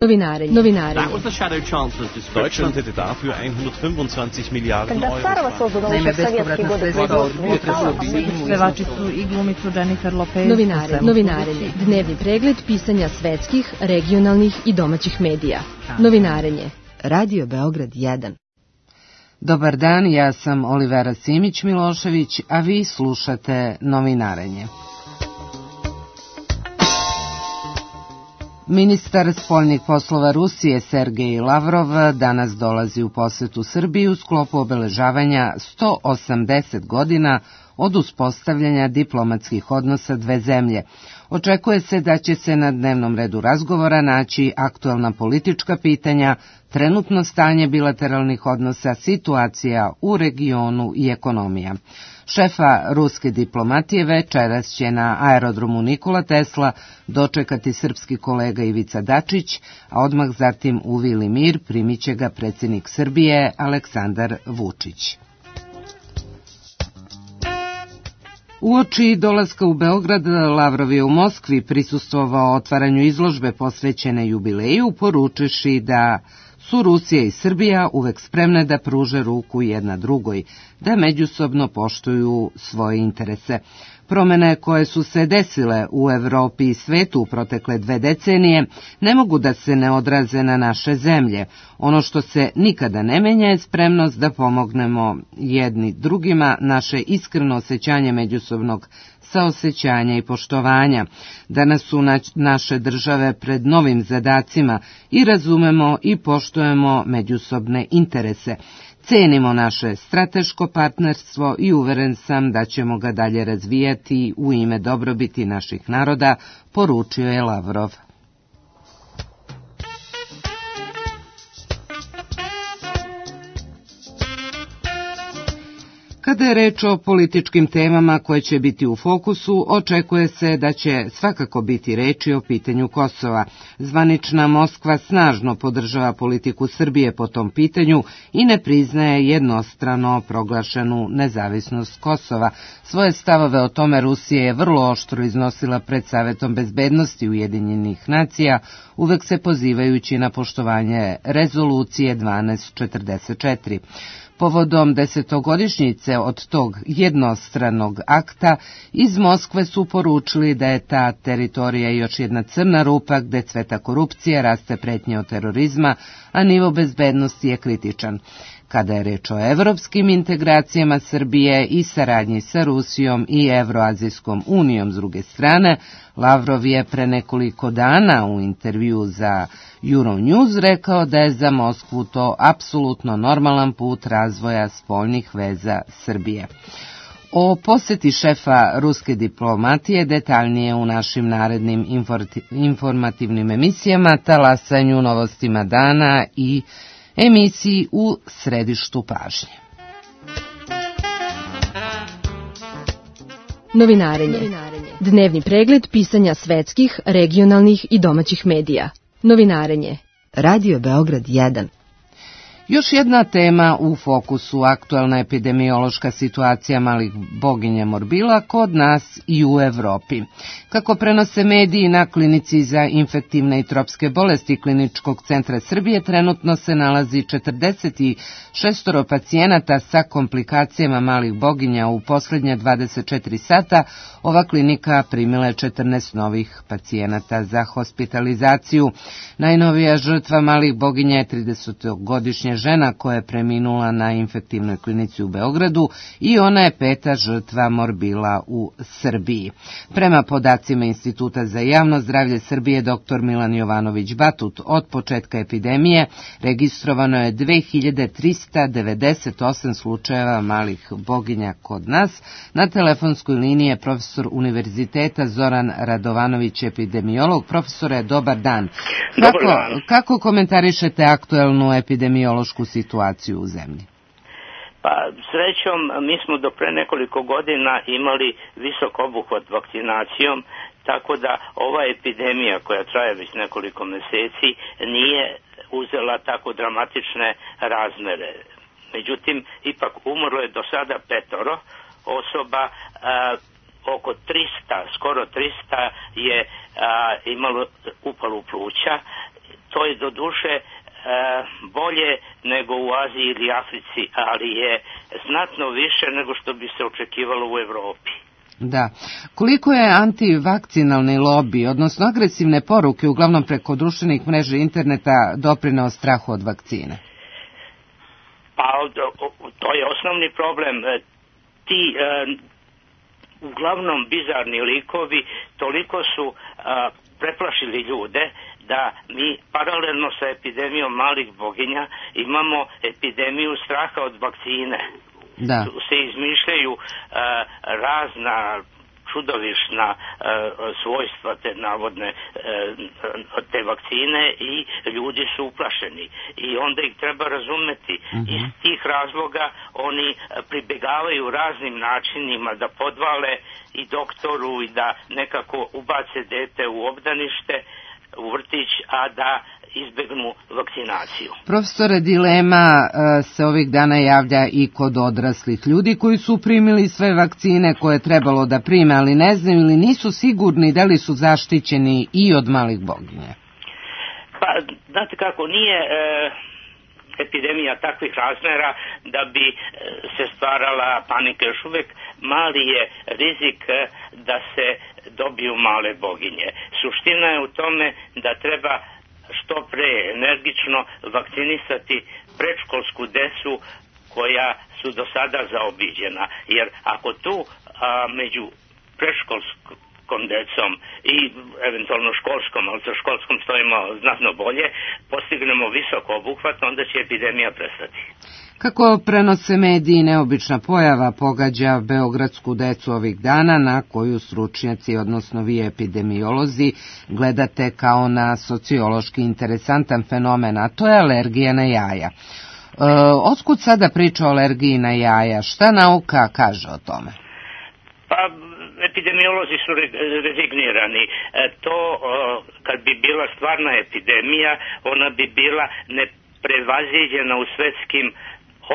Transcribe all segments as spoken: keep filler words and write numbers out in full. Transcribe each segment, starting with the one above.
Novinarenje. Novinarenje. Deutschland hätte dafür hundertfünfundzwanzig Milliarden Euro. Naime, bespovratna sredstva od Pevačicu i glumicu Jennifer Lopez. Novinarenje. Novinarenje. Dnevni pregled pisanja svetskih, regionalnih i domaćih medija. Novinarenje. Radio Beograd jedan. Dobar dan, ja sam Olivera Simić-Milošević, a vi slušate Novinarenje. Ministar spoljnih poslova Rusije Sergej Lavrov danas dolazi u posetu Srbiji u sklopu obeležavanja sto osamdeset godina od uspostavljanja diplomatskih odnosa dve zemlje. Očekuje se da će se na dnevnom redu razgovora naći aktuelna politička pitanja, trenutno stanje bilateralnih odnosa, situacija u regionu i ekonomija. Šefa ruske diplomatije večeras će na aerodromu Nikola Tesla dočekati srpski kolega Ivica Dačić, a odmah zatim u Vili Mir primit će ga predsjednik Srbije Aleksandar Vučić. Uoči dolaska u Beograd, Lavrov je u Moskvi prisustvovao otvaranju izložbe posvećene jubileju, poručivši da su Rusija i Srbija uvek spremne da pruže ruku jedna drugoj, da međusobno poštuju svoje interese. Promene koje su se desile u Evropi i svetu u protekle dve decenije ne mogu da se ne odraze na naše zemlje. Ono što se nikada ne menja je spremnost da pomognemo jedni drugima, naše iskreno osjećanje međusobnog saosećanja i poštovanja. Danas su naše države pred novim zadacima i razumemo i poštujemo međusobne interese. Cenimo naše strateško partnerstvo i uveren sam da ćemo ga dalje razvijati u ime dobrobiti naših naroda, poručio je Lavrov. Kada je reč o političkim temama koje će biti u fokusu, očekuje se da će svakako biti reči o pitanju Kosova. Zvanična Moskva snažno podržava politiku Srbije po tom pitanju i ne priznaje jednostrano proglašenu nezavisnost Kosova. Svoje stavove o tome Rusija je vrlo oštro iznosila pred Savetom bezbednosti Ujedinjenih nacija, uvek se pozivajući na poštovanje rezolucije dvanaest četrdeset četiri. Povodom desetogodišnjice od tog jednostranog akta, iz Moskve su poručili da je ta teritorija još jedna crna rupa gde cveta korupcija, raste pretnje od terorizma, a nivo bezbednosti je kritičan. Kada je reč o evropskim integracijama Srbije i saradnji sa Rusijom i Evroazijskom unijom s druge strane, Lavrov je pre nekoliko dana u intervju za Euronews rekao da je za Moskvu to apsolutno normalan put razvoja spoljnih veza Srbije. O poseti šefa ruske diplomatije detaljnije u našim narednim informativnim emisijama, talasanju novostima dana i emisiji U središtu pažnje. Novinarenje. Dnevni pregled pisanja svetskih, regionalnih i domaćih medija. Novinarenje. Radio Beograd jedan. Još jedna tema u fokusu, aktuelna epidemiološka situacija malih boginja morbila kod nas i u Evropi. Kako prenose mediji, na klinici za infektivne i tropske bolesti Kliničkog centra Srbije trenutno se nalazi četrdeset šest pacijenata sa komplikacijama malih boginja. U posljednja dvadeset četiri sata ova klinika primila je četrnaest novih pacijenata za hospitalizaciju. Najnovija žrtva malih boginja je tridesetogodišnja žena koja je preminula na infektivnoj klinici u Beogradu i ona je peta žrtva morbila u Srbiji. Prema podacima Instituta za javno zdravlje Srbije dr Milan Jovanović Batut, od početka epidemije registrovano je dve hiljade trista devedeset osam slučajeva malih boginja kod nas. Na telefonskoj liniji je profesor univerziteta Zoran Radovanović, epidemiolog. Profesore, dobar dan. Kako, kako komentarišete aktuelnu epidemiološku situaciju u zemlji? Pa srećom, mi smo do pre nekoliko godina imali visok obuhvat vakcinacijom, tako da ova epidemija koja traje već nekoliko meseci nije uzela tako dramatične razmere. Međutim, ipak umrlo je do sada petoro osoba, a, oko trista, skoro trista je a, imalo upalu pluća, to je do duše e, bolje nego u Aziji ili Africi, ali je znatno više nego što bi se očekivalo u Evropi. Da. Koliko je antivakcinalni lobi, odnosno agresivne poruke, uglavnom preko društvenih mreža i interneta, doprineo strahu od vakcine? Pa to je osnovni problem. Ti e, uglavnom bizarni likovi toliko su e, preplašili ljude da mi paralelno sa epidemijom malih boginja imamo epidemiju straha od vakcine. Da. Se izmišljaju uh, razna čudovišna uh, svojstva te navodne uh, te vakcine i ljudi su uplašeni i onda ih treba razumeti. Mm-hmm. Iz tih razloga oni pribegavaju raznim načinima da podvale i doktoru i da nekako ubace dete u obdanište, u vrtić, a da izbegnu vakcinaciju. Profesore, dilema se ovih dana javlja i kod odraslih ljudi koji su primili sve vakcine koje je trebalo da prime, ali ne znaju ili nisu sigurni da li su zaštićeni i od malih boginja. Pa, znate kako, nije e, epidemija takvih razmera da bi e, se stvarala panika. Još uvijek mali je rizik e, da se dobiju male boginje. Suština je u tome da treba što pre energično vakcinisati predškolsku decu koja su do sada zaobiđena. Jer ako tu a, među predškolskom decom i eventualno školskom, ali sa školskom stojimo znatno bolje, postignemo visok obuhvat, onda će epidemija prestati. Kako prenose mediji, neobična pojava pogađa beogradsku decu ovih dana, na koju stručnjaci, odnosno vi epidemiolozi, gledate kao na sociološki interesantan fenomen, a to je alergija na jaja. E, otkud sada priča o alergiji na jaja? Šta nauka kaže o tome? Pa, epidemiolozi su rezignirani. E, to, o, kad bi bila stvarna epidemija, ona bi bila neprevaziđena u svetskim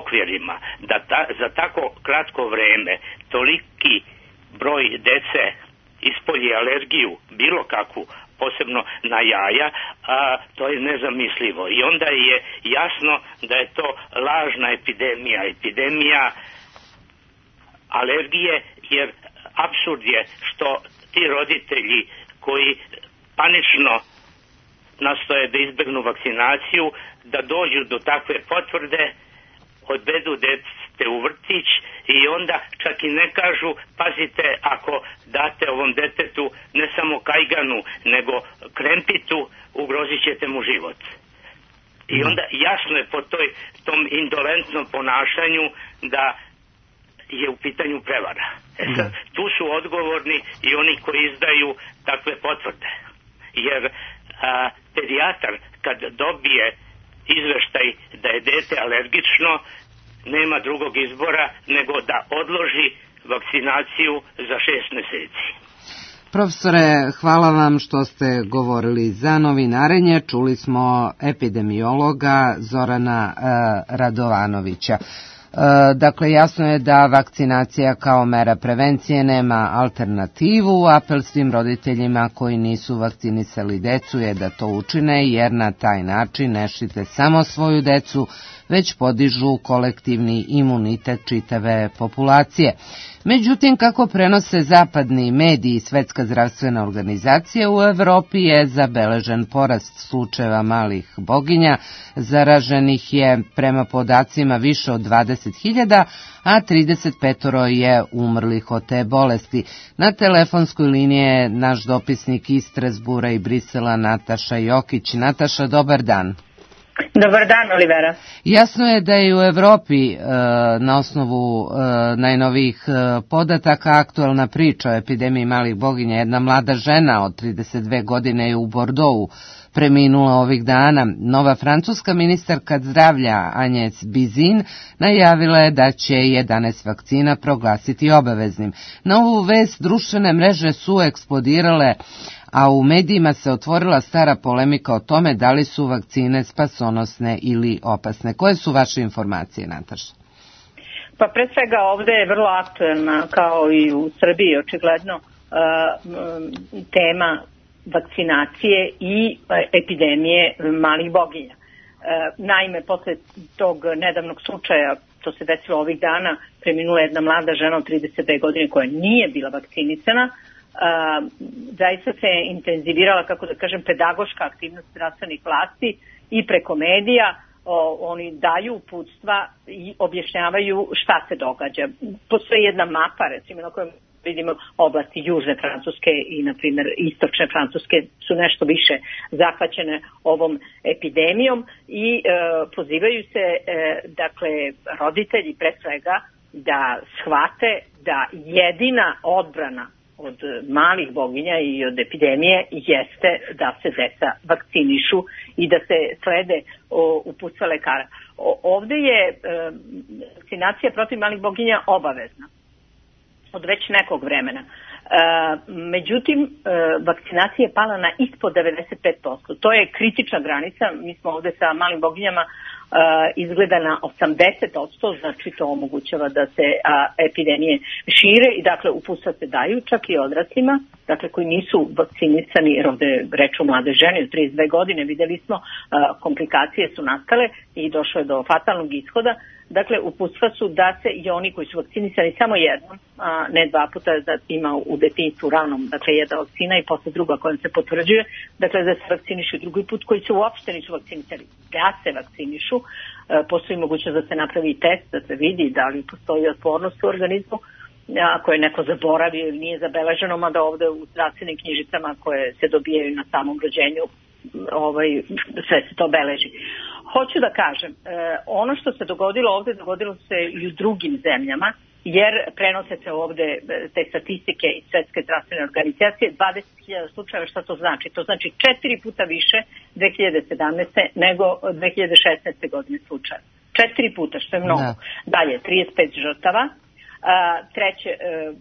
okvirima, da ta, za tako kratko vreme toliki broj dece ispolji alergiju, bilo kakvu, posebno na jaja, a to je nezamislivo. I onda je jasno da je to lažna epidemija, epidemija alergije, jer apsurd je što ti roditelji koji panično nastoje da izbegnu vakcinaciju, da dođu do takve potvrde, odvedu dete u vrtić i onda čak i ne kažu, pazite, ako date ovom detetu ne samo kajganu, nego krempitu, ugrozit ćete mu život. I onda jasno je po toj, tom indolentnom ponašanju da je u pitanju prevara. E sad, tu su odgovorni i oni koji izdaju takve potvrde. Jer a, pedijatar kad dobije izveštaj da je dete alergično, nema drugog izbora nego da odloži vakcinaciju za šest mjeseci. Profesore, hvala vam što ste govorili za Novinarenje. Čuli smo epidemiologa Zorana e, Radovanovića. E, dakle, jasno je da vakcinacija kao mera prevencije nema alternativu. Apel svim roditeljima koji nisu vakcinisali decu je da to učine, jer na taj način ne štite samo svoju decu, već podižu kolektivni imunitet čitave populacije. Međutim, kako prenose zapadni mediji i Svetska zdravstvena organizacija, u Evropi je zabeležen porast slučajeva malih boginja, zaraženih je prema podacima više od dvadeset hiljada, a trideset pet je umrlih od te bolesti. Na telefonskoj liniji je naš dopisnik iz Strasbura i Brisela Nataša Jokić. Nataša, dobar dan. Dobar dan, Olivera. Jasno je da je u Evropi e, na osnovu e, najnovijih e, podataka aktuelna priča o epidemiji malih boginja. Jedna mlada žena od trideset dve godine je u Bordeauxu preminula ovih dana. Nova francuska ministarka zdravlja Agnès Buzyn najavila je da će jedanaest vakcina proglasiti obaveznim. Na ovu vest društvene mreže su eksplodirale, a u medijima se otvorila stara polemika o tome da li su vakcine spasonosne ili opasne. Koje su vaše informacije, Nataša? Pa pre svega ovde je vrlo aktuelna, kao i u Srbiji očigledno, tema vakcinacije i epidemije malih boginja. Naime, posle tog nedavnog slučaja, to se desilo ovih dana, preminula jedna mlada žena od trideset dve godine koja nije bila vakcinisana. Zaista se intenzivirala, kako da kažem, pedagoška aktivnost zdravstvenih vlasti i preko medija. O, oni daju uputstva i objašnjavaju šta se događa. Postoji jedna mapa, recimo, na kojoj vidimo oblasti južne Francuske i, na primjer, istočne Francuske su nešto više zahvaćene ovom epidemijom i e, pozivaju se, e, dakle, roditelji pre svega da shvate da jedina odbrana od malih boginja i od epidemije jeste da se deca vakcinišu i da se slede o, uputstva lekara. O, ovde je e, vakcinacija protiv malih boginja obavezna od već nekog vremena. E, međutim, e, vakcinacija je pala na ispod devedeset pet posto. To je kritična granica. Mi smo ovde sa malim boginjama Uh, izgleda na osamdeset posto, znači to omogućava da se a, epidemije šire i dakle uputstva se daju čak i odraslima, dakle koji nisu vakcinisani, jer ovde reč o mlade žene od trideset dve godine, videli smo a, komplikacije su nastale i došlo je do fatalnog ishoda. Dakle, uputstva su da se i oni koji su vakcinisani samo jednom, a ne dva puta, da ima u detinjstvu ranom, dakle jedna vakcina i posle druga kojom se potvrđuje, dakle da se vakcinišu drugi put koji se uopšte nisu vakcinisani, da se vakcinišu. E, postoji mogućnost da se napravi test, da se vidi da li postoji otpornost u organizmu, ako je neko zaboravio ili nije zabeleženo, mada ovde u zdravstvenim knjižicama koje se dobijaju na samom rođenju, ovaj, sve se to beleži. Hoću da kažem, ono što se dogodilo ovde, dogodilo se i u drugim zemljama, jer prenose se ovde te statistike iz Svetske zdravstvene organizacije, dvadeset hiljada slučajeva. Šta to znači? To znači četiri puta više dve hiljade sedamnaeste. nego dve hiljade šesnaeste. godine slučaja. Četiri puta, što je mnogo. Da. Dalje, trideset pet žrtava. A, treće, e,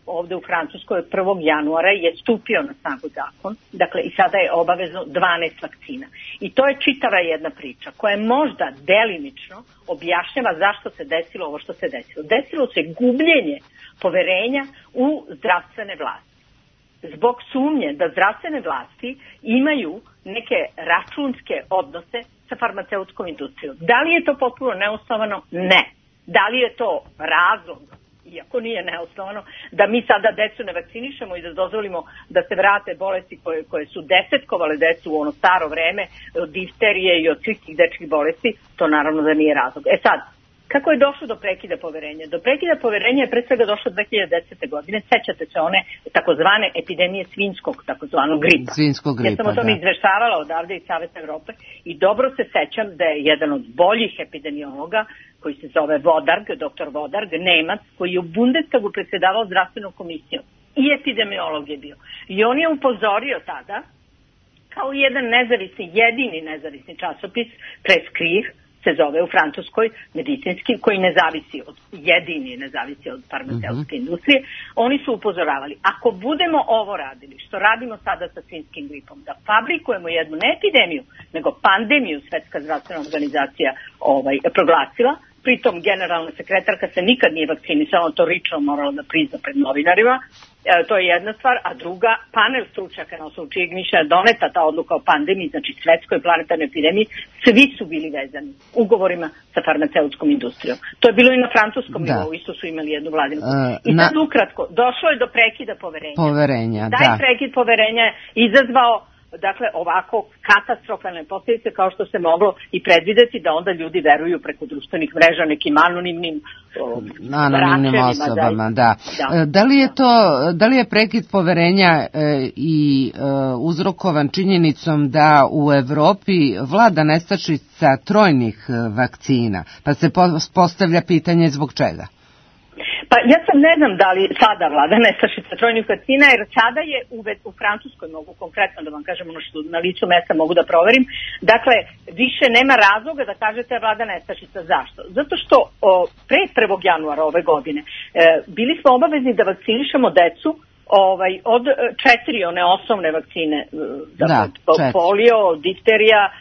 ovde u Francuskoj prvog januara je stupio na snagu zakon, dakle i sada je obavezno dvanaest vakcina. I to je čitava jedna priča koja možda delimično objašnjava zašto se desilo ovo što se desilo. Desilo se gubljenje poverenja u zdravstvene vlasti. Zbog sumnje da zdravstvene vlasti imaju neke računske odnose sa farmaceutskom industrijom. Da li je to potpuno neosnovano? Ne. Da li je to razlog, iako nije neosnovano, da mi sada decu ne vakcinišemo i da dozvolimo da se vrate bolesti koje, koje su desetkovale decu u ono staro vreme, od difterije i od svih tih dečkih bolesti, to naravno da nije razlog. E sad, kako je došlo do prekida poverenja? Do prekida poverenja je pre svega došlo dve hiljade desete. godine. Sećate se one takozvane epidemije svinjskog, takozvanog gripa. Svinjskog gripa, ja sam o tome da. izveštavala odavde iz Saveta Evrope i dobro se sećam da je jedan od boljih epidemiologa koji se zove Vodarg, doktor Vodarg, Nemac, koji je u Bundestagu predsjedavao zdravstvenom komisijom i epidemiolog je bio. I on je upozorio tada, kao jedan nezavisni, jedini nezavisni časopis, Prescrire, se zove u Francuskoj, medicinski, koji ne zavisi od, jedini ne zavisi od farmaceutske mm-hmm. industrije, oni su upozoravali, ako budemo ovo radili, što radimo sada sa svinjskim gripom, da fabrikujemo jednu ne epidemiju, nego pandemiju, Svetska zdravstvena organizacija ovaj, proglasila, pritom generalna sekretarka se nikad nije vakcinisala, to lično morala da prizna pred novinarima, e, to je jedna stvar, a druga, panel stručnjaka na osnovu čijeg mišljenja doneta ta odluka o pandemiji, znači svetskoj planetarnoj epidemiji, svi su bili vezani ugovorima sa farmaceutskom industrijom. To je bilo i na francuskom da. nivou, isto su imali jednu vladinu. Uh, I sad na... ukratko, došlo je do prekida poverenja. Poverenja, Taj da. prekid poverenja je izazvao dakle ovako katastrofalne posljedice kao što se moglo i predvideti, da onda ljudi veruju preko društvenih mreža nekim anonimnim anonimnim osobama, da. Da. Da li je to, da li je prekid poverenja e, i e, uzrokovan činjenicom da u Evropi vlada nestašica trojnih vakcina, pa se postavlja pitanje zbog čega? Pa ja sam ne znam da li sada vlada nestašica trojnih vakcina, jer sada je u, u Francuskoj, mogu konkretno da vam kažem ono što na licu mesta mogu da proverim, dakle više nema razloga da kažete vlada nestašica. Zašto? Zato što o, pre prvog januara ove godine e, bili smo obavezni da vakcinišemo decu ovaj, od četiri one osnovne vakcine, dakle, da, polio, difterija e,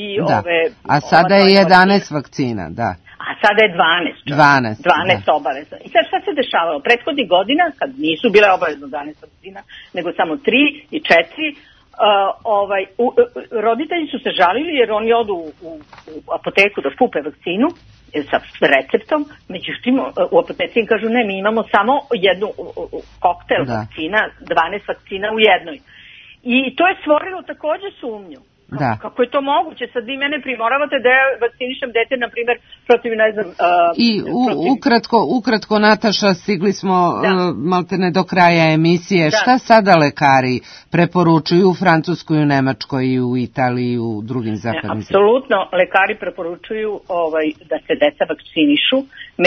i da. ove... A sada je jedanaest vakcina, da. A sada je dvanaest. dvanaest, dvanaest da. obavezno. I sad šta se dešavalo? Prethodnih godina, kad nisu bile obavezno dvanaest vakcina, nego samo tri i četiri, ovaj, u, roditelji su se žalili jer oni odu u, u, u apoteku da kupe vakcinu sa receptom, međutim u apoteci im kažu ne, mi imamo samo jednu koktel da. vakcina, dvanaest vakcina u jednoj. I to je stvorilo takođe sumnju. Kako, da. kako je to moguće? Sad vi mene primoravate da ja vakcinišem dete, na primjer, protiv, ne znam... Uh, I u, protiv... ukratko, ukratko, Nataša, stigli smo da. uh, maltene do kraja emisije. Da. Šta sada lekari preporučuju u Francuskoj, u Nemačkoj, i u Italiji, i u drugim zapadnim? Apsolutno, lekari preporučuju ovaj, da se deca vakcinišu,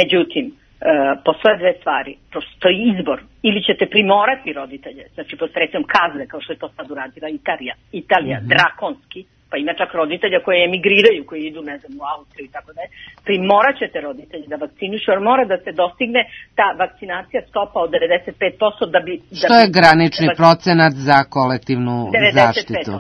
međutim, Uh, postoje dve stvari. Postoji izbor. Ili ćete primorati roditelje, znači posredstvom kazne, kao što je to sad uradila Italija, Italija, mm-hmm. drakonski, pa ima čak roditelja koji emigriraju, koji idu, ne znam, u Austriju i tako da je. Primorat ćete roditelje da vakcinišu, jer mora da se dostigne ta vakcinacija stopa od devedeset pet posto da bi... Da što je granični da, procenat za kolektivnu zaštitu.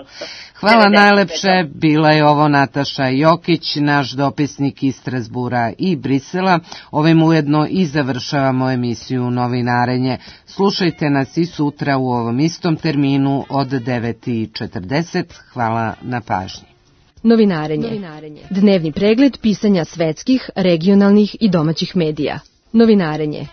Hvala najlepše, bila je ovo Nataša Jokić, naš dopisnik iz Strasbura i Brisela. Ovim ujedno i završavamo emisiju Novinarenje. Slušajte nas i sutra u ovom istom terminu od devet i četrdeset. Hvala na pažnji. Novinarenje. Novinarenje. Dnevni pregled pisanja svetskih, regionalnih i domaćih medija. Novinarenje.